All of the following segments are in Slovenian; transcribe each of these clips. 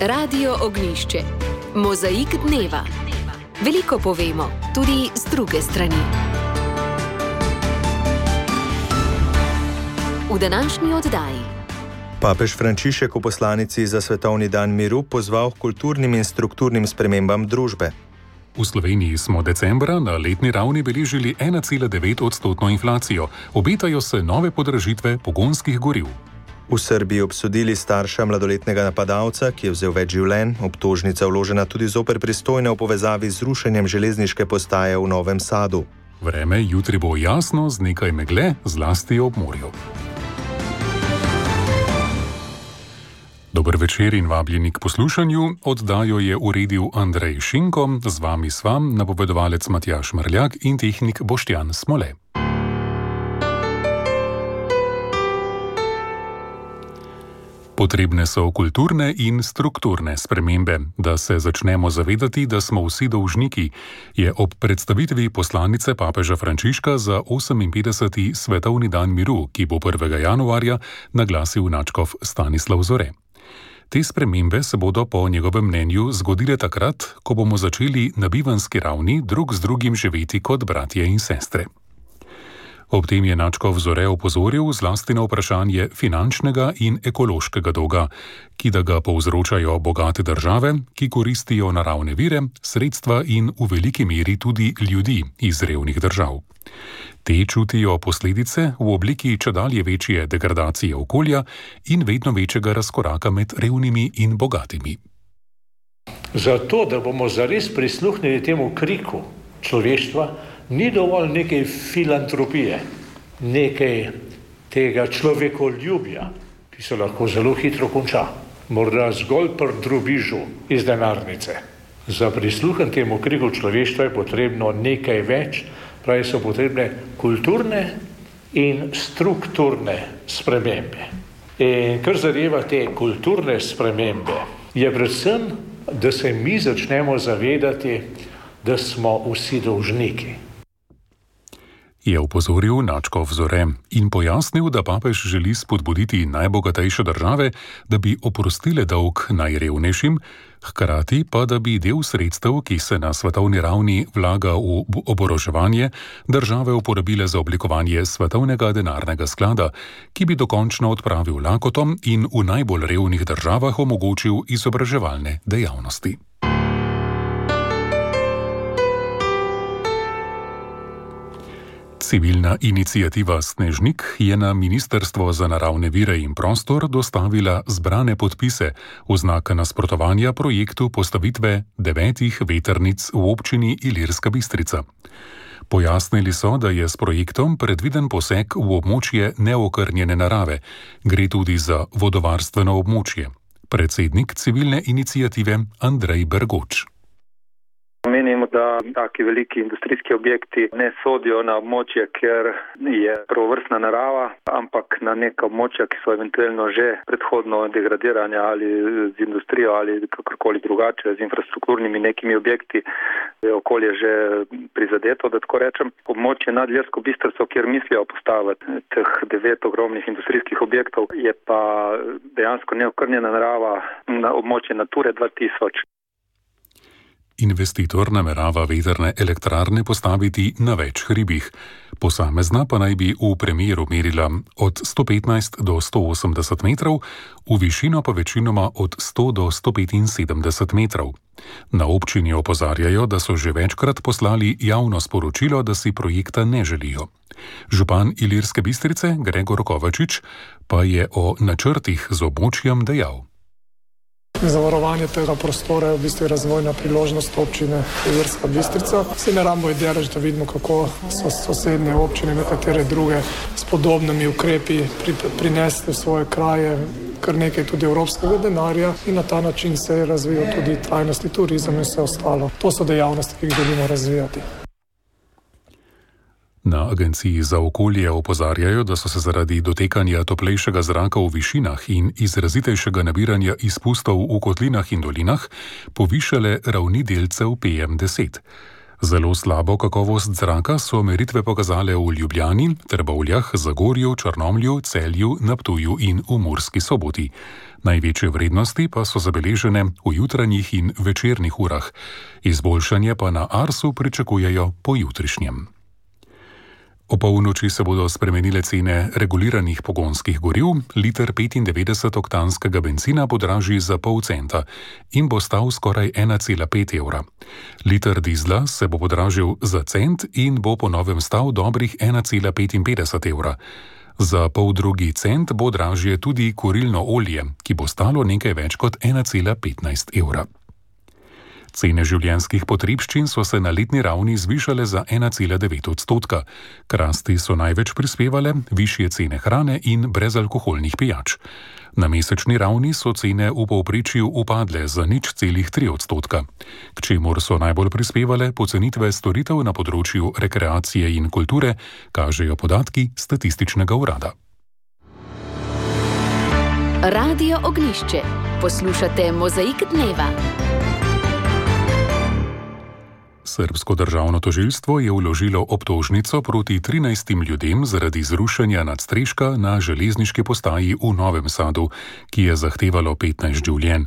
Radio Ognjišče. Mozaik dneva. Veliko povemo, tudi z druge strani. V današnji oddaji. Papež Frančišek v poslanici za Svetovni dan miru pozval k kulturnim in strukturnim spremembam družbe. V Sloveniji smo decembra na letni ravni beležili 1,9% inflacijo. Obetajo se nove podražitve pogonskih goriv. V Srbiji obsodili starša mladoletnega napadalca, ki je vzel več življenj, obtožnica vložena tudi zoper pristojne v povezavi z rušenjem železniške postaje v Novem Sadu. Vreme jutri bo jasno z nekaj megle, zlasti ob morju. Dober večer in vabljeni k poslušanju. Oddajo je uredil Andrej Šinko, z vami sva napovedovalec Matjaž Mrljak in tehnik Boštjan Smole. Potrebne so kulturne in strukturne spremembe. Da se začnemo zavedati, da smo vsi dolžniki, je ob predstavitvi poslanice papeža Frančiška za 58. Svetovni dan miru, ki bo 1. januarja, naglasil nadškof Stanislav Zore. Te spremembe se bodo po njegovem mnenju zgodile takrat, ko bomo začeli na bivanski ravni drug z drugim živeti kot bratje in sestre. Ob tem je nadškof Zore opozoril zlasti na vprašanje finančnega in ekološkega dolga, ki da ga povzročajo bogate države, ki koristijo naravne vire, sredstva in v veliki meri tudi ljudi iz revnih držav. Te čutijo posledice v obliki čedalje večje degradacije okolja in vedno večjega razkoraka med revnimi in bogatimi. Zato, da bomo zares prisluhnili temu kriku človeštva, ni dovolj nekaj filantropije, nekaj tega človekoljubja, ki se lahko zelo hitro konča, morda zgolj pri drobižu iz denarnice. Za prisluhen temu kriku človeštva je potrebno nekaj več, pravi so potrebne kulturne in strukturne spremembe. In kar zadeva te kulturne spremembe, je predvsem, da se mi začnemo zavedati, da smo vsi dolžniki. Je opozoril nadškof Zore in pojasnil, da papež želi spodbuditi najbogatejše države, da bi oprostile dolg najrevnejšim, hkrati pa, da bi del sredstev, ki se na svetovni ravni vlaga v oboroževanje, države uporabile za oblikovanje svetovnega denarnega sklada, ki bi dokončno odpravil lakoto in v najbolj revnih državah omogočil izobraževalne dejavnosti. Civilna iniciativa Snežnik je na Ministrstvo za naravne vire in prostor dostavila zbrane podpise v znak nasprotovanja projektu postavitve 9 vetrnic v občini Ilirska Bistrica. Pojasnili so, da je s projektom predviden poseg v območje neokrnjene narave, gre tudi za vodovarstveno območje. Predsednik civilne iniciative Andrej Bergoč. Menimo, da taki veliki industrijski objekti ne sodijo na območje, ker je prvovrstna narava, ampak na neka območja, ki so eventualno že predhodno degradiranja ali z industrijo ali kakorkoli drugače, z infrastrukturnimi nekimi objekti, je okolje že prizadeto, da tako rečem. Območje nad Ilirsko Bistrico, kjer mislijo postaviti teh 9 ogromnih industrijskih objektov, je pa dejansko neokrnjena narava na območje Nature 2000. Investitor namerava vetrne elektrarne postaviti na več hribih. Posamezna pa naj bi v premeru merila od 115 do 180 metrov, v višino pa večinoma od 100 do 175 metrov. Na občini opozarjajo, da so že večkrat poslali javno sporočilo, da si projekta ne želijo. Župan Ilirske Bistrice Gregor Kovačič pa je o načrtih z območjem dejal. Zavarovanje tega prostora je v bistvu razvojna priložnost občine Ilirska Bistrica. Vsi ne rabimo idereč, da vidimo, kako so sosednje občine, nekatere druge s podobnimi ukrepi prinesli v svoje kraje kar nekaj tudi evropskega denarja in na ta način se je razvijal tudi trajnostni turizem in vse ostalo. To so dejavnosti, ki jih želimo razvijati. Na Agenciji za okolje opozarjajo, da so se zaradi dotekanja toplejšega zraka v višinah in izrazitejšega nabiranja izpustov v kotlinah in dolinah povišale ravni delcev PM10. Zelo slabo kakovost zraka so meritve pokazale v Ljubljani, Trbovljah, Zagorju, Črnomlju, Celju, na Ptuju in v Murski Soboti. Največje vrednosti pa so zabeležene v jutranjih in večernih urah. Izboljšanje pa na Arsu pričakujejo po jutrišnjem. O polnoči se bodo spremenile cene reguliranih pogonskih goriv, liter 95-oktanskega bencina podraži za pol centa in bo stal skoraj 1,5 evra. Liter dizla se bo podražil za cent in bo po novem stal dobrih 1,55 evra. Za poldrugi cent bo dražje tudi kurilno olje, ki bo stalo nekaj več kot 1,15 evra. Cene življenjskih potrebščin so se na letni ravni zvišale za 1,9%. K rasti so največ prispevale višje cene hrane in brezalkoholnih pijač. Na mesečni ravni so cene v povprečju upadle za 0,3%, k čemur so najbolj prispevale pocenitve storitev na področju rekreacije in kulture, kažejo podatki Statističnega urada. Radio Ognjišče. Poslušate Mozaik dneva. Srbsko državno tožilstvo je vložilo obtožnico proti 13 ljudem zaradi zrušenja nadstreška na železniški postaji v Novem Sadu, ki je zahtevalo 15 življenj.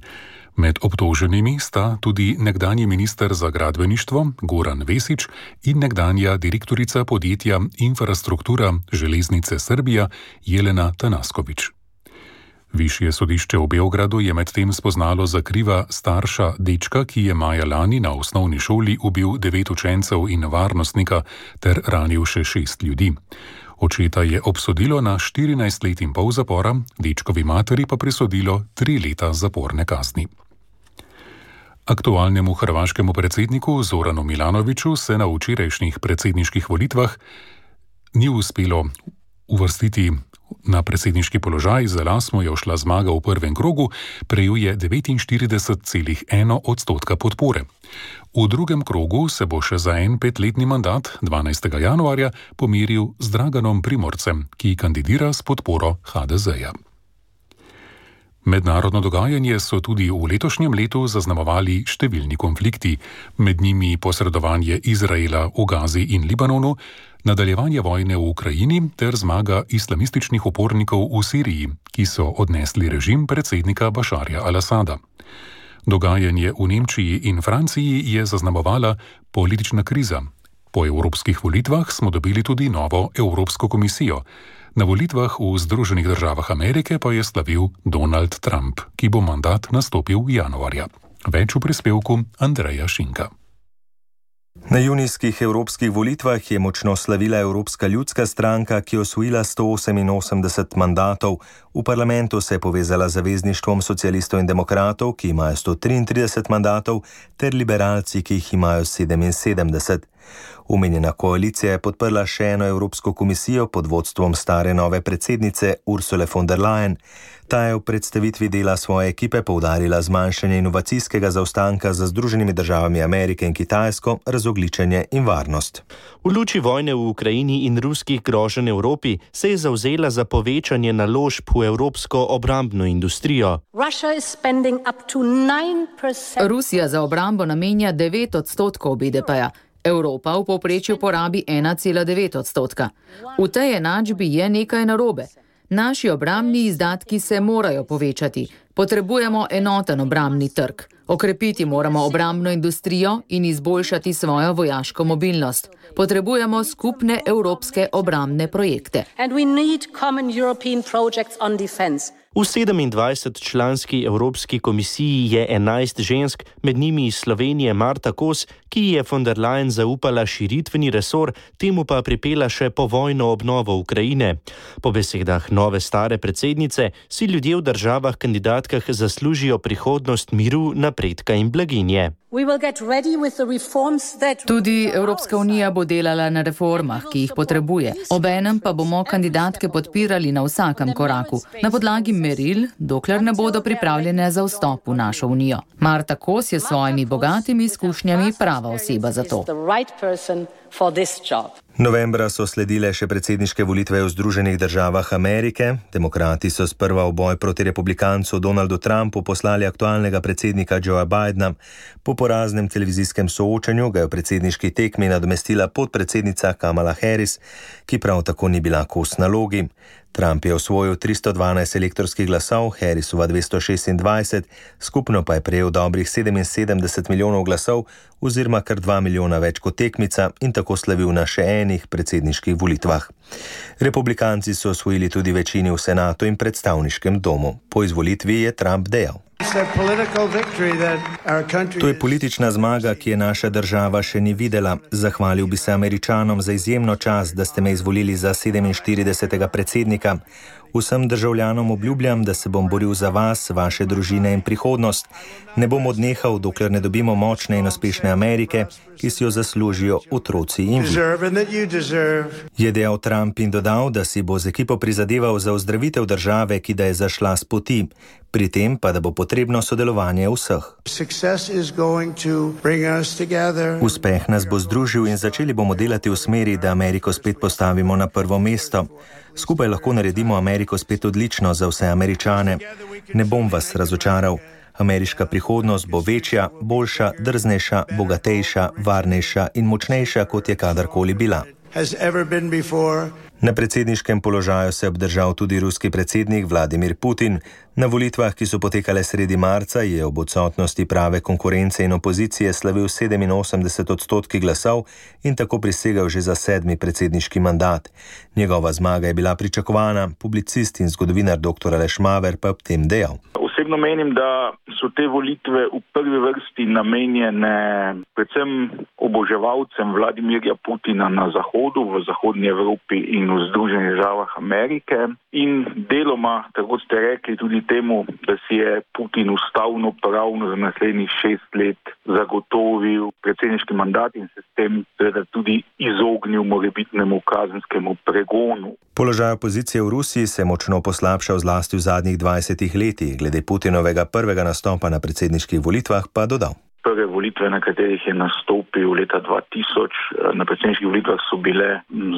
Med obtoženimi sta tudi nekdanji minister za gradbeništvo Goran Vesić in nekdanja direktorica podjetja Infrastruktura železnice Srbija Jelena Tanasković. Višje sodišče v Beogradu je medtem spoznalo za kriva starša dečka, ki je maja lani na osnovni šoli ubil 9 učencev in varnostnika ter ranil še 6 ljudi. Očeta je obsodilo na 14 let in pol zapora, dečkovi materi pa prisodilo 3 leta zaporne kazni. Aktualnemu hrvaškemu predsedniku Zoranu Milanoviću se na včerajšnjih predsedniških volitvah ni uspelo uvrstiti na predsedniški položaj, za las mu je ušla zmaga v prvem krogu, prejel je 49,1% podpore. V drugem krogu se bo še za en 5-letni mandat 12. januarja pomiril z Draganom Primorcem, ki kandidira s podporo HDZ-ja. Mednarodno dogajanje so tudi v letošnjem letu zaznamovali številni konflikti, med njimi posredovanje Izraela v Gazi in Libanonu, nadaljevanje vojne v Ukrajini ter zmaga islamističnih upornikov v Siriji, ki so odnesli režim predsednika Bašarja al-Asada. Dogajanje v Nemčiji in Franciji je zaznamovala politična kriza. Po evropskih volitvah smo dobili tudi novo Evropsko komisijo. Na volitvah v Združenih državah Amerike pa je slavil Donald Trump, ki bo mandat nastopil januarja. Več v prispevku Andreja Šinka. Na junijskih evropskih volitvah je močno slavila Evropska ljudska stranka, ki je osvojila 188 mandatov. V parlamentu se je povezala z Zavezništvom socialistov in demokratov, ki imajo 133 mandatov, ter liberalci, ki jih imajo 77. Omenjena koalicija je podprla še eno Evropsko komisijo pod vodstvom stare nove predsednice Ursule von der Leyen. Ta je v predstavitvi dela svoje ekipe poudarila zmanjšanje inovacijskega zaostanka za Združenimi državami Amerike in Kitajsko, razogljičenje in varnost. V luči vojne v Ukrajini in ruskih groženj Evropi se je zavzela za povečanje naložb v evropsko obrambno industrijo. Rusija za obrambo namenja 9% BDP-ja. Evropa v povprečju porabi 1,9%. V tej enačbi je nekaj narobe. Naši obrambni izdatki se morajo povečati. Potrebujemo enoten obrambni trg. Okrepiti moramo obrambno industrijo in izboljšati svojo vojaško mobilnost. Potrebujemo skupne evropske obrambne projekte. V 27-članski Evropski komisiji je 11 žensk, med njimi iz Slovenije Marta Kos, ki je von der Leyen zaupala širitveni resor, temu pa pripela še povojno obnovo Ukrajine. Po besedah nove stare predsednice si ljudje v državah kandidatkah zaslužijo prihodnost miru, napredka in blaginje. Tudi Evropska unija bo delala na reformah, ki jih potrebuje. Obenem pa bomo kandidatke podpirali na vsakem koraku, na podlagi meril, dokler ne bodo pripravljene za vstop v našo unijo. Marta Kos je s svojimi bogatimi izkušnjami prava oseba za to. Novembra so sledile še predsedniške volitve v Združenih državah Amerike. Demokrati so sprva v boj proti republikancu Donaldu Trumpu poslali aktualnega predsednika Joea Bidena. Po poraznem televizijskem soočenju ga je v predsedniški tekmi nadomestila podpredsednica Kamala Harris, ki prav tako ni bila kos nalogi. Trump je osvojil 312 elektorskih glasov, Harrisova 226, skupno pa je prejel dobrih 77 milijonov glasov oziroma kar 2 milijona več kot tekmica in tako slavil na še enih predsedniških volitvah. Republikanci so osvojili tudi večini v senatu in predstavniškem domu. Po izvolitvi je Trump dejal: To je politična zmaga, ki je naša država še ni videla. Zahvalil bi se Američanom za izjemno čast, da ste me izvolili za 47. predsednika. Vsem državljanom obljubljam, da se bom boril za vas, vaše družine in prihodnost. Ne bom odnehal, dokler ne dobimo močne in uspešne Amerike, ki si jo zaslužijo otroci in vi. Je dejal Trump in dodal, da si bo z ekipo prizadeval za ozdravitev države, ki da je zašla s poti. Pri tem pa, da bo potrebno sodelovanje vseh. Uspeh nas bo združil in začeli bomo delati v smeri, da Ameriko spet postavimo na prvo mesto. Skupaj lahko naredimo Ameriko spet odlično za vse Američane. Ne bom vas razočaral. Ameriška prihodnost bo večja, boljša, drznejša, bogatejša, varnejša in močnejša, kot je kadarkoli bila. Na predsedniškem položaju se je obdržal tudi ruski predsednik Vladimir Putin. Na volitvah, ki so potekale sredi marca, je ob odsotnosti prave konkurence in opozicije slavil 87% glasov in tako prisegel že za 7. predsedniški mandat. Njegova zmaga je bila pričakovana, publicist in zgodovinar dr. Aleš Maver pa ob tem dejal: Osebno menim, da so te volitve v prvi vrsti namenjene predvsem oboževalcem Vladimirja Putina na Zahodu, v Zahodnji Evropi in v Združenih državah Amerike in deloma, tako ste rekli, tudi temu, da si je Putin ustavno pravno za naslednjih 6 let zagotovil predsedniški mandat in se s tem seveda tudi izognil morebitnemu kazenskemu pregonu. Položaj opozicije v Rusiji se je močno poslabšal zlasti v zadnjih 20 letih. Glede Putinovega prvega nastopa na predsedniških volitvah pa dodal: Prve volitve, na katerih je nastopil leta 2000, na predsedniških volitvah so bile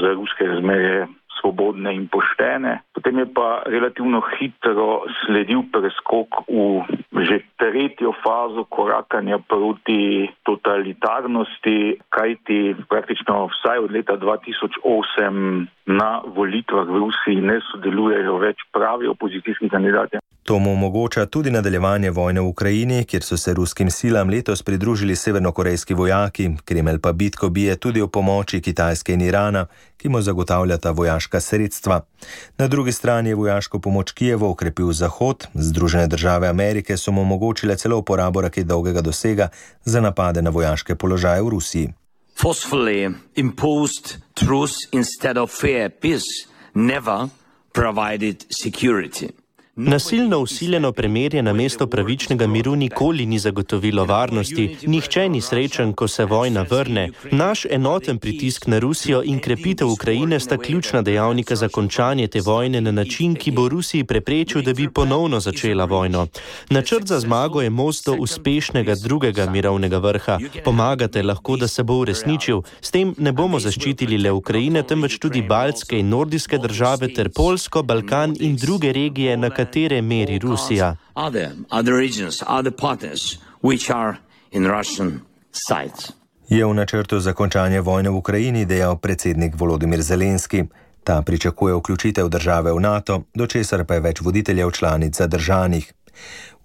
za ruske razmere svobodne in poštene. Potem je pa relativno hitro sledil preskok v že tretjo fazo korakanja proti totalitarnosti, kajti praktično vsaj od leta 2008 na volitvah v Rusiji ne sodelujejo več pravi opozicijski kandidati. To mu omogoča tudi nadaljevanje vojne v Ukrajini, kjer so se ruskim silam letos pridružili severnokorejski vojaki. Kremelj pa bitko bije tudi o pomoči Kitajske in Irana, ki mu zagotavljata vojaška sredstva. Na drugi strani je vojaško pomoč Kijevu okrepil Zahod. Združene države Amerike so mu omogočile celo uporabo raket dolgega dosega za napade na vojaške položaje v Rusiji. Forcefully imposed truce instead of fair peace never provided security. Nasilno usiljeno premirje namesto pravičnega miru nikoli ni zagotovilo varnosti. Nihče ni srečen, ko se vojna vrne. Naš enoten pritisk na Rusijo in krepitev Ukrajine sta ključna dejavnika za končanje te vojne na način, ki bo Rusiji preprečil, da bi ponovno začela vojno. Načrt za zmago je most do uspešnega drugega mirovnega vrha. Pomagate lahko, da se bo uresničil. S tem ne bomo zaščitili le Ukrajine, temveč tudi baltske in nordijske države ter Poljsko, Balkan in druge regije, na katere meri Rusija. Je v načrtu za končanje vojne v Ukrajini dejal predsednik Volodimir Zelenski. Ta pričakuje vključitev države v NATO, do česar pa je več voditeljev članic zadržanih.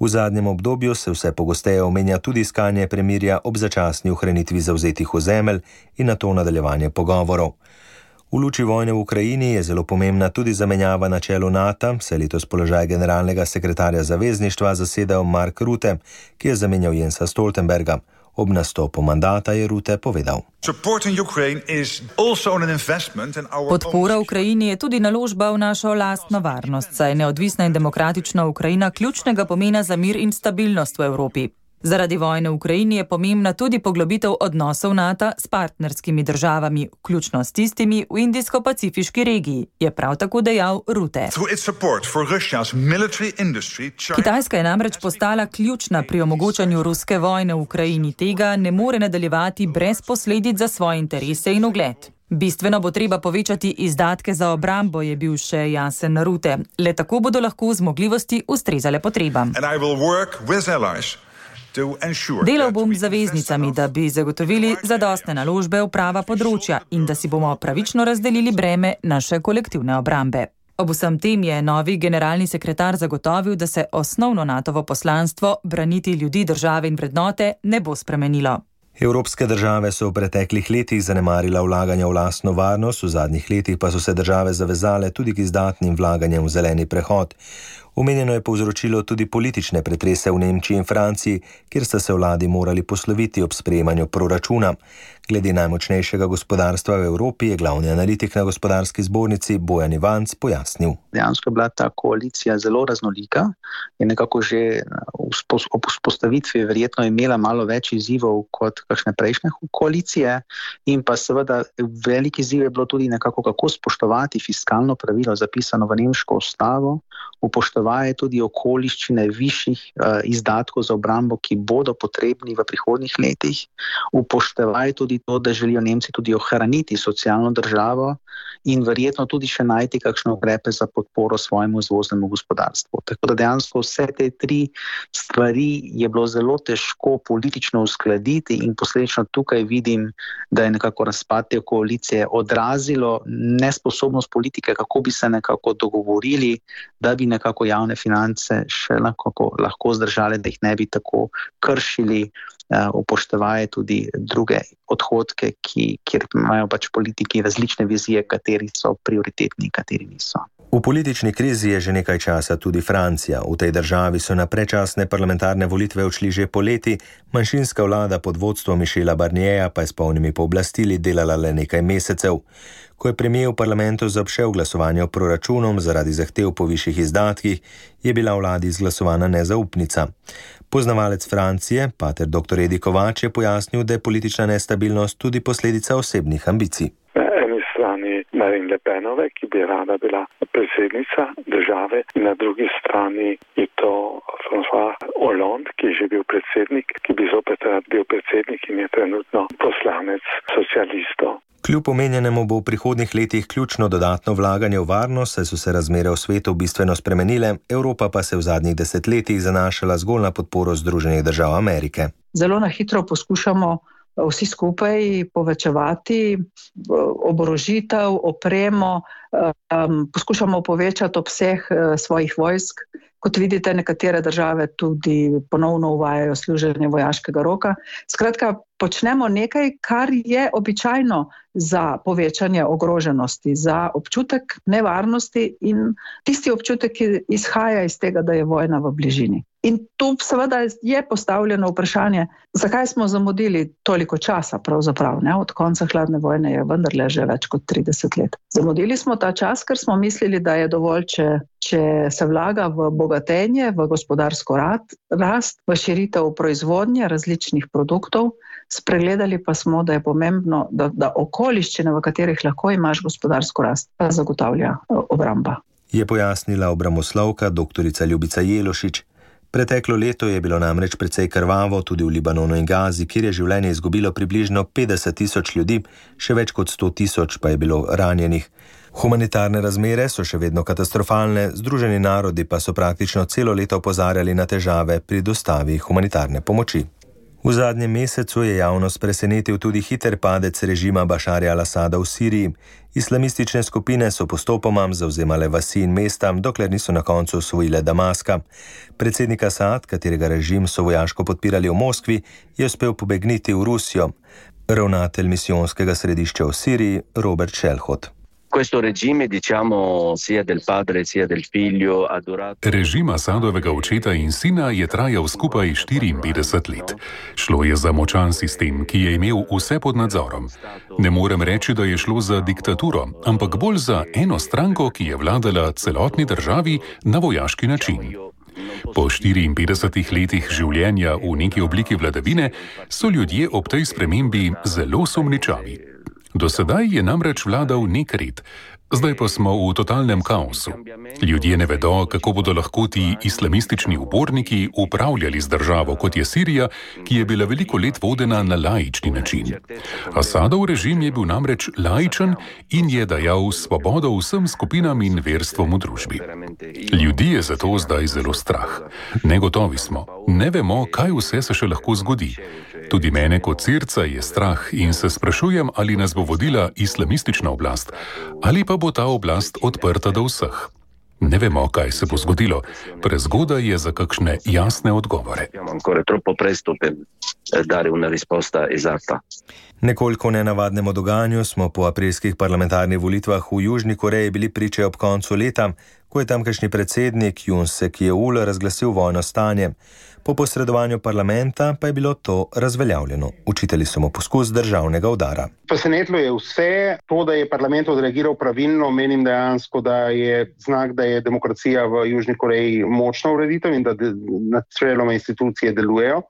V zadnjem obdobju se vse pogosteje omenja tudi iskanje premirja ob začasni ohranitvi zavzetih ozemelj in nato nadaljevanje pogovorov. V luči vojne v Ukrajini je zelo pomembna tudi zamenjava na čelu NATO, saj letos položaj generalnega sekretarja zavezništva zasedal Mark Rutte, ki je zamenjal Jensa Stoltenberga. Ob nastopu mandata je Rutte povedal: Podpora Ukrajini je tudi naložba v našo lastno varnost, saj je neodvisna in demokratična Ukrajina ključnega pomena za mir in stabilnost v Evropi. Zaradi vojne v Ukrajini je pomembna tudi poglobitev odnosov NATO s partnerskimi državami, vključno s tistimi v Indijsko-Pacifiški regiji, je prav tako dejal Rutte. Kitajska je namreč postala ključna pri omogočanju ruske vojne v Ukrajini. Tega ne more nadaljevati brez posledic za svoje interese in ugled. Bistveno bo treba povečati izdatke za obrambo, je bil še jasen Rutte. Le tako bodo lahko zmogljivosti ustrezale potrebam. Delal bom z zaveznicami, da bi zagotovili zadostne naložbe v prava področja in da si bomo pravično razdelili breme naše kolektivne obrambe. Ob vsem tem je novi generalni sekretar zagotovil, da se osnovno NATO-ovo poslanstvo braniti ljudi, države in vrednote ne bo spremenilo. Evropske države so v preteklih letih zanemarila vlaganja v lastno varnost, v zadnjih letih pa so se države zavezale tudi k izdatnim vlaganjem v zeleni prehod. Omenjeno je povzročilo tudi politične pretrese v Nemčiji in Franciji, kjer sta se vladi morali posloviti ob sprejemanju proračuna. Glede najmočnejšega gospodarstva v Evropi je glavni analitik na gospodarski zbornici Bojan Ivanc pojasnil. Dejansko je bila ta koalicija zelo raznolika in nekako že ob vzpostavitvi verjetno imela malo več izzivov kot kakšne prejšnje koalicije in pa seveda veliki izziv je bilo tudi nekako kako spoštovati fiskalno pravilo zapisano v nemško ustavo, upoštevaje tudi okoliščine višjih izdatkov za obrambo, ki bodo potrebni v prihodnjih letih, upoštevaje tudi to, da želijo Nemci tudi ohraniti socialno državo in verjetno tudi še najti kakšne ukrepe za podporo svojemu izvoznemu gospodarstvu. Tako da dejansko vse te tri stvari je bilo zelo težko politično uskladiti in posledično tukaj vidim, da je nekako razpad te koalicije odrazilo nesposobnost politike, kako bi se nekako dogovorili, da bi nekako javne finance še lahko zdržali, da jih ne bi tako kršili, upoštevaje tudi druge odhodke, kjer imajo pač politiki različne vizije, kateri so prioritetni, kateri niso. V politični krizi je že nekaj časa tudi Francija. V tej državi so na predčasne parlamentarne volitve odšli že poleti, manjšinska vlada pod vodstvom Michela Barnierja pa je s polnimi pooblastili delala le nekaj mesecev. Ko je premier v parlamentu zaobšel glasovanje o proračunom zaradi zahtev po višjih izdatkih, je bila vladi izglasovana nezaupnica. Poznavalec Francije, pater dr. Edi Kovač, je pojasnil, da je politična nestabilnost tudi posledica osebnih ambicij. Marine Le Penove, ki bi rada bila predsednica države, in na drugi strani je to François Hollande, ki je že bil predsednik, ki bi zopet rad bil predsednik in je trenutno poslanec socialistov. Kljub omenjenemu bo v prihodnjih letih ključno dodatno vlaganje v varnost, saj so se razmere v svetu bistveno spremenile, Evropa pa se v zadnjih desetletjih zanašala zgolj na podporo Združenih držav Amerike. Zelo na hitro poskušamo vsi skupaj povečevati oborožitev, opremo, poskušamo povečati obseg svojih vojsk. Kot vidite, nekatere države tudi ponovno uvajajo služenje vojaškega roka. Skratka, počnemo nekaj, kar je običajno za povečanje ogroženosti, za občutek nevarnosti in tisti občutek, ki izhaja iz tega, da je vojna v bližini. In tu seveda je postavljeno vprašanje, zakaj smo zamudili toliko časa pravzaprav, ne? Od konca hladne vojne je vendarle že več kot 30 let. Zamudili smo ta čas, ker smo mislili, da je dovolj, če se vlaga v bogatenje, v gospodarsko rast, v širitev proizvodnje različnih produktov. Spregledali pa smo, da je pomembno, da okoliščine, v katerih lahko imaš gospodarsko rast, pa zagotavlja obramba. Je pojasnila obramboslovka dr. Ljubica Jelošič. Preteklo leto je bilo namreč precej krvavo tudi v Libanonu in Gazi, kjer je življenje izgubilo približno 50.000 ljudi, še več kot 100.000 pa je bilo ranjenih. Humanitarne razmere so še vedno katastrofalne, Združeni narodi pa so praktično celo leto opozarjali na težave pri dostavi humanitarne pomoči. V zadnjem mesecu je javnost presenetil tudi hiter padec režima Bašarja al-Asada v Siriji. Islamistične skupine so postopoma zavzemale vasi in mesta, dokler niso na koncu osvojile Damaska. Predsednik Asad, katerega režim so vojaško podpirali v Moskvi, je uspel pobegniti v Rusijo. Ravnatelj misijonskega središča v Siriji, Robert Šelhot. Režim Asadovega očeta in sina je trajal skupaj 54 let. Šlo je za močan sistem, ki je imel vse pod nadzorom. Ne morem reči, da je šlo za diktaturo, ampak bolj za eno stranko, ki je vladala celotni državi na vojaški način. Po 54 letih življenja v neki obliki vladavine so ljudje ob tej spremembi zelo sumničavi. Do sedaj je namreč vladal nek red. Zdaj pa smo v totalnem kaosu. Ljudje ne vedo, kako bodo lahko ti islamistični uporniki upravljali z državo, kot je Sirija, ki je bila veliko let vodena na laični način. Asadov režim je bil namreč laičen in je dajal svobodo vsem skupinam in verstvom v družbi. Ljudi je zato zdaj zelo strah. Negotovi smo. Ne vemo, kaj vse se še lahko zgodi. Tudi mene kot Sirca je strah in se sprašujem, ali nas bo vodila islamistična oblast, ali pa bo ta oblast odprta do vseh. Ne vemo, kaj se bo zgodilo. Prezgodaj je za kakšne jasne odgovore. Nekoliko nenavadnemu dogajanju smo po aprilskih parlamentarnih volitvah v Južni Koreji bili priče ob koncu leta, ko je tamkajšnji predsednik Yoon Suk-yeol razglasil vojno stanje. Po posredovanju parlamenta pa je bilo to razveljavljeno. Učitali so mu poskus državnega udara. Presenetilo je vse. To, da je parlament odreagiral pravilno, menim dejansko, da je znak, da je demokracija v Južni Koreji močna ureditev in da načeloma institucije delujejo.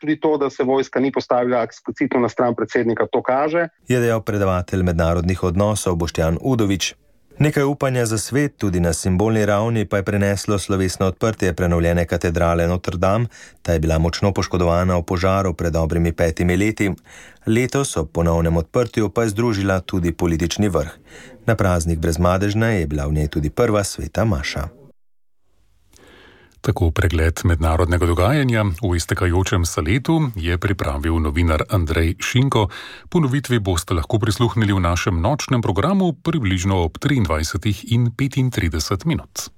Tudi to, da se vojska ni postavila eksplicitno na stran predsednika, to kaže. Je dejal predavatelj mednarodnih odnosov Boštjan Udovič. Nekaj upanja za svet, tudi na simbolni ravni, pa je preneslo slovesno odprtje prenovljene katedrale Notre Dame. Ta je bila močno poškodovana v požaru pred dobrimi 5 leti. Letos ob ponovnem odprtju pa je združila tudi politični vrh. Na praznik Brezmadežne je bila v njej tudi prva sveta maša. Tako pregled mednarodnega dogajanja v iztekajočem se letu je pripravil novinar Andrej Šinko. Ponovitvi boste lahko prisluhnili v našem nočnem programu približno ob 23:35 minut.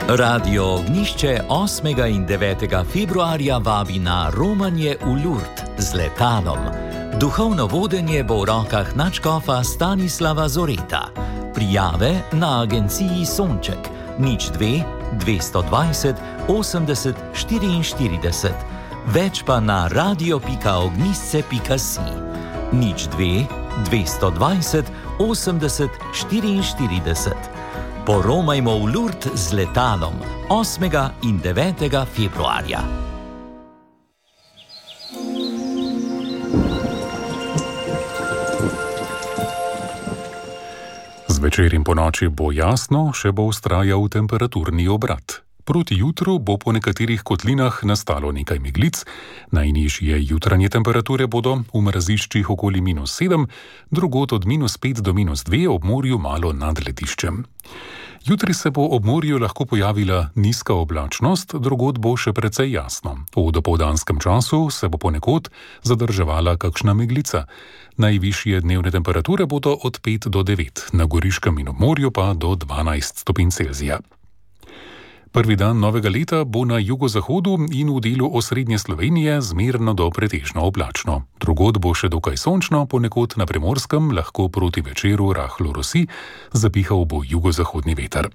Radio Ognjišče 8. in 9. februarja vabi na romanje v Lourdes z letalom. Duhovno vodenje bo v rokah nadškofa Stanislava Zoreta. Prijave na agenciji Sonček 02 220 80 44. Več pa na radio.ognjisce.si 02 220 80 44. Poromajmo v Lourdes z letalom 8. in 9. februarja. Zvečer in ponoči bo jasno, še bo vztrajal temperaturni obrat. Proti jutru bo po nekaterih kotlinah nastalo nekaj meglic, najnižje jutranje temperature bodo v mraziščih okoli -7, drugod od -5 do -2 ob morju malo nad lediščem. Jutri se bo ob morju lahko pojavila nizka oblačnost, drugod bo še precej jasno. V dopoldanskem času se bo ponekod zadrževala kakšna meglica. Najvišje dnevne temperature bodo od 5 do 9, na Goriškem in ob morju pa do 12 stopinj Celzija. Prvi dan novega leta bo na jugozahodu in v delu osrednje Slovenije zmerno do pretežno oblačno. Drugod bo še dokaj sončno, ponekod na Primorskem lahko proti večeru rahlo rosi, zapihal bo jugozahodni veter.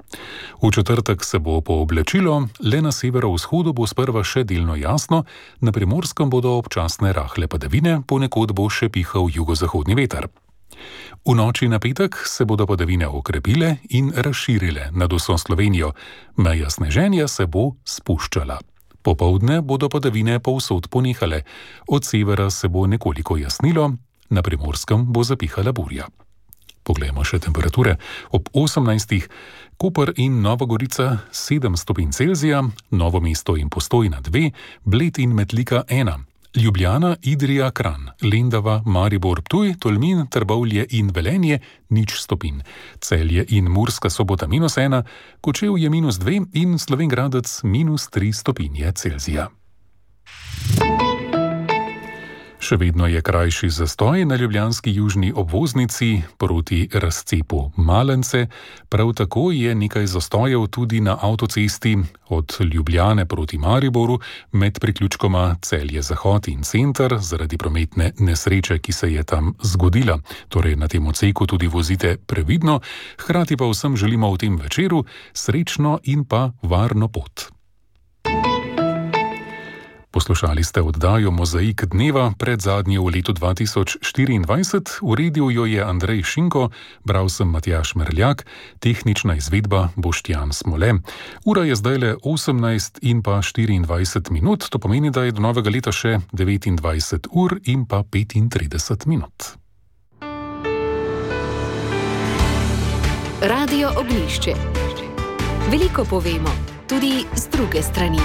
V četrtek se bo pooblačilo, le na severovzhodu bo sprva še delno jasno, na Primorskem bodo občasne rahle padavine, ponekod bo še pihal jugozahodni veter. V noči na petek se bodo padavine okrepile in razširile nad vso Slovenijo. Meja sneženja se bo spuščala. Popoldne bodo padavine povsod ponehale. Od severa se bo nekoliko jasnilo, na Primorskem bo zapihala burja. Poglejmo še temperature. Ob 18. Koper in Nova Gorica 7 stopinj Celzija, Novo mesto in Postojna 2, Bled in Metlika 1. Ljubljana, Idrija, Kranj, Lendava, Maribor, Ptuj, Tolmin, Trbovlje in Velenje 0 stopinj. Celje in Murska Sobota -1, Kočevje -2 in Slovenj Gradec -3 stopinje Celzija. Še vedno je krajši zastoj na ljubljanski južni obvoznici proti razcepu Malence. Prav tako je nekaj zastojev tudi na avtocesti od Ljubljane proti Mariboru med priključkoma Celje-Zahod in Center zaradi prometne nesreče, ki se je tam zgodila. Torej na tem odseku tudi vozite previdno, hkrati pa vsem želimo v tem večeru srečno in pa varno pot. Poslušali ste oddajo Mozaik dneva, predzadnje v letu 2024, uredil jo je Andrej Šinko, bral sem Matjaž Merljak, tehnična izvedba Boštjan Smole. Ura je zdajle 18:24 minut, to pomeni, da je do novega leta še 29 ur in pa 35 minut. Radio Ognjišče. Veliko povemo, tudi z druge strani.